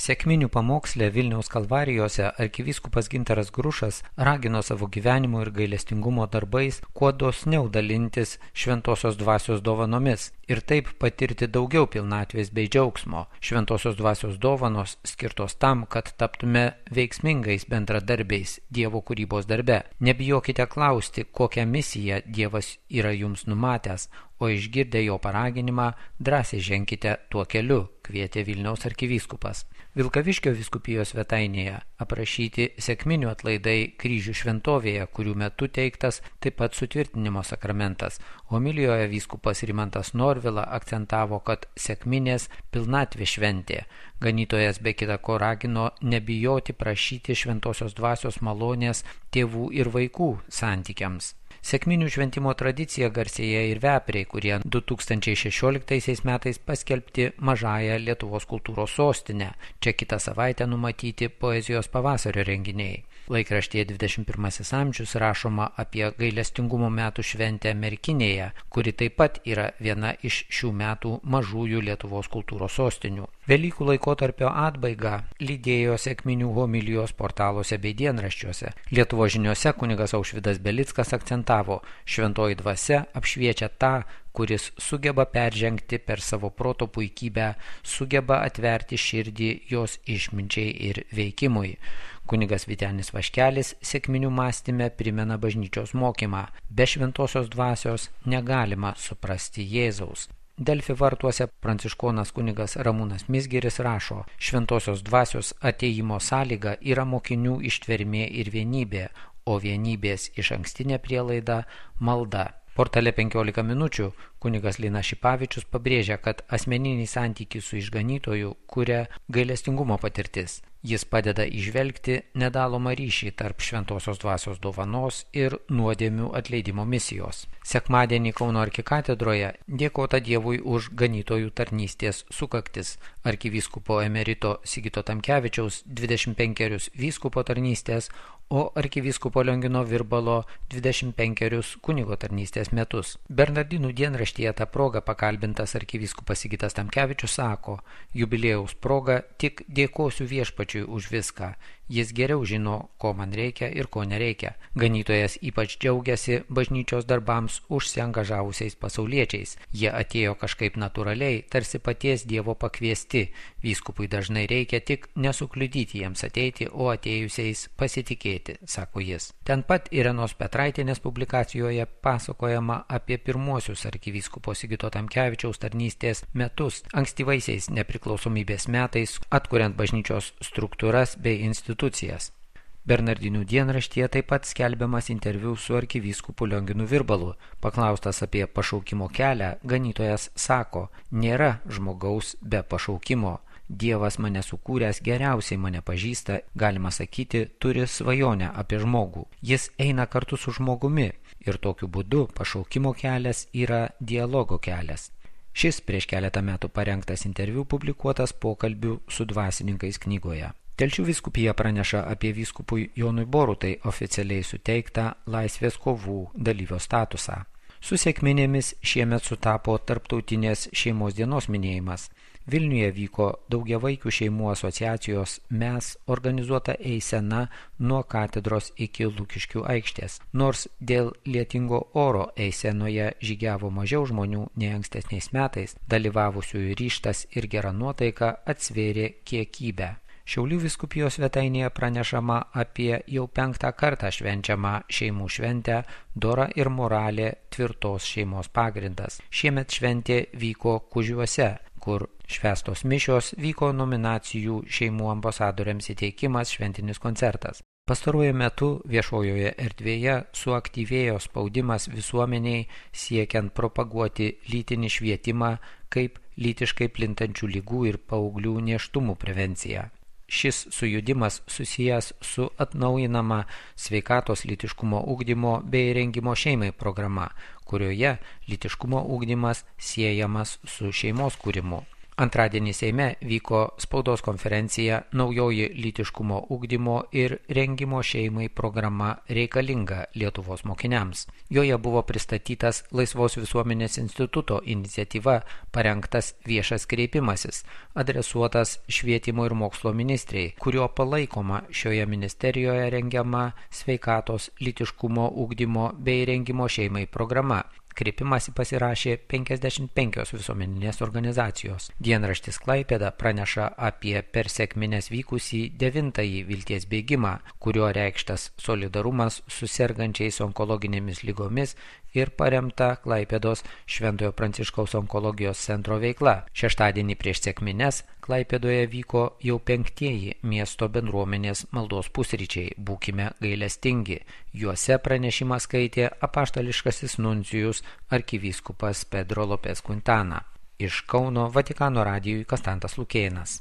Sekminių pamoksle Vilniaus Kalvarijose arkivyskupas Gintaras Grušas ragino savo gyvenimo ir gailestingumo darbais kuo dosniau dalintis šventosios dvasios dovanomis ir taip patirti daugiau pilnatvės bei džiaugsmo. Šventosios dvasios dovanos skirtos tam, kad taptume veiksmingais bendradarbiais Dievo kūrybos darbe. Nebijokite klausti, kokią misiją Dievas yra jums numatęs, o išgirdę jo paraginimą drąsiai ženkite tuo keliu, kvietė Vilniaus arkivyskupas. Vilkaviškio vyskupijos svetainėje aprašyti sekminių atlaidai kryžių šventovėje, kurių metu teiktas taip pat sutvirtinimo sakramentas. Homilijoje vyskupas Rimantas Norvila akcentavo, kad sekminės pilnatvė šventė. Ganytojas be kita ko ragino nebijoti prašyti šventosios dvasios malonės tėvų ir vaikų santykiams. Sekminių šventimo tradicija garsėja ir Vepriai, kurie 2016 metais paskelbti mažąją Lietuvos kultūros sostinę. Čia kitą savaitę numatyti poezijos pavasario renginiai. Laikraštyje 21 amžius rašoma apie gailestingumo metų šventę Merkinėje, kuri taip pat yra viena iš šių metų mažųjų Lietuvos kultūros sostinių. Velykų laikotarpio atbaigą lydėjo sekminių homilijos portaluose bei dienraščiuose. Lietuvos žiniose kunigas Aušvydas Belickas akcentavo, šventoji dvasia apšviečia tą, kuris sugeba peržengti per savo proto puikybę, sugeba atverti širdį jos išminčiai ir veikimui. Kunigas Vytenis Vaškelis sekminių mąstyme primena bažnyčios mokymą. Be šventosios dvasios negalima suprasti Jėzaus. Delfi vartuose pranciškonas kunigas Ramūnas Mizgiris rašo, šventosios dvasios atėjimo sąlyga yra mokinių ištvermė ir vienybė, o vienybės išankstinė prielaida malda. Portale 15 minučių kunigas Linas Šipavičius pabrėžia, kad asmeninį santykį su išganytoju kuria gailestingumo patirtis. Jis padeda įžvelgti nedalomą ryšį tarp šventosios dvasios dovanos ir nuodėmių atleidimo misijos. Sekmadienį Kauno arkikatedroje dėkota Dievui už ganytojų tarnystės sukaktis. Arkivyskupo emerito Sigito Tamkevičiaus 25 vyskupo tarnystės, o arkivyskupo Liongino Virbalo 25 kunigo tarnystės metus. Bernardinų dienraštyje tą progą pakalbintas arkivyskupas Sigitas Tamkevičius sako, jubiliejaus proga tik dėkosiu viešpačiui už viską. Jis geriau žino, ko man reikia ir ko nereikia. Ganytojas ypač džiaugiasi bažnyčios darbams užsiangažavusiais pasauliečiais. Jie atėjo kažkaip natūraliai, tarsi paties Dievo pakviesti. Vyskupui dažnai reikia tik nesukliudyti jiems ateiti, o atėjusiais pasitikėti, sako jis. Ten pat Irenos Petraitienės publikacijoje pasakojama apie pirmuosius arkivyskupo Sigito Tamkevičiaus tarnystės metus, ankstyvaisiais nepriklausomybės metais, atkuriant bažnyčios struktūras bei institucijas. Bernardinių dienraštyje taip pat skelbiamas interviu su arkivyskupu Lionginu Virbalu. Paklaustas apie pašaukimo kelią, ganytojas sako, nėra žmogaus be pašaukimo. Dievas mane sukūręs geriausiai mane pažįsta, galima sakyti, turi svajonę apie žmogų. Jis eina kartu su žmogumi ir tokiu būdu pašaukimo kelias yra dialogo kelias. Šis prieš keletą metų parengtas interviu publikuotas pokalbių su dvasininkais knygoje. Telšių vyskupija praneša apie vyskupui Jonui Borutai oficialiai suteiktą laisvės kovų dalyvio statusą. Su sekminėmis šiemet sutapo tarptautinės šeimos dienos minėjimas. Vilniuje vyko daugiavaikių šeimų asociacijos MES organizuota eisena nuo katedros iki Lukiškių aikštės. Nors dėl lietingo oro eisenoje žygiavo mažiau žmonių nei ankstesniais metais, dalyvavusiųjų ryžtas ir gera nuotaika atsvėrė kiekybę. Šiaulių vyskupijos svetainėje pranešama apie jau 5 kartą švenčiamą šeimų šventę Dora ir moralė tvirtos šeimos pagrindas. Šiemet šventė vyko Kužiuose, kur švęstos mišios, vyko nominacijų šeimų ambasadoriams įteikimas, šventinis koncertas. Pastaruoju metu viešojoje erdvėje suaktyvėjo spaudimas visuomeniai siekiant propaguoti lytinį švietimą kaip lytiškai plintančių ligų ir paauglių nėštumų prevenciją. Šis sujudimas susijęs su atnaujinama sveikatos lytiškumo ugdymo bei rengimo šeimai programa, kurioje lytiškumo ugdymas siejamas su šeimos kūrimu. Antradienį Seime vyko spaudos konferencija Naujoji lytiškumo ugdymo ir rengimo šeimai programa reikalinga Lietuvos mokiniams. Joje buvo pristatytas Laisvos visuomenės instituto iniciatyva parengtas viešas kreipimasis, adresuotas švietimo ir mokslo ministrei, kurio palaikoma šioje ministerijoje rengiama sveikatos, lytiškumo ugdymo bei rengimo šeimai programa. Kreipimąsi pasirašė 55 visuomeninės organizacijos. Dienraštis Klaipėda praneša apie per sekmines vykusį 9-ąjį vilties bėgimą, kurio reikštas solidarumas su sergančiais onkologinėmis ligomis ir paremta Klaipėdos Šventojo Pranciškaus onkologijos centro veikla. Šeštadienį prieš sekmines Klaipėdoje vyko jau 5-ieji miesto bendruomenės maldos pusryčiai Būkime gailestingi. Juose pranešimą skaitė apaštališkasis nuncijus arkivyskupas Pedro Lopez Quintana. Iš Kauno Vatikano radijui Konstantas Lukėnas.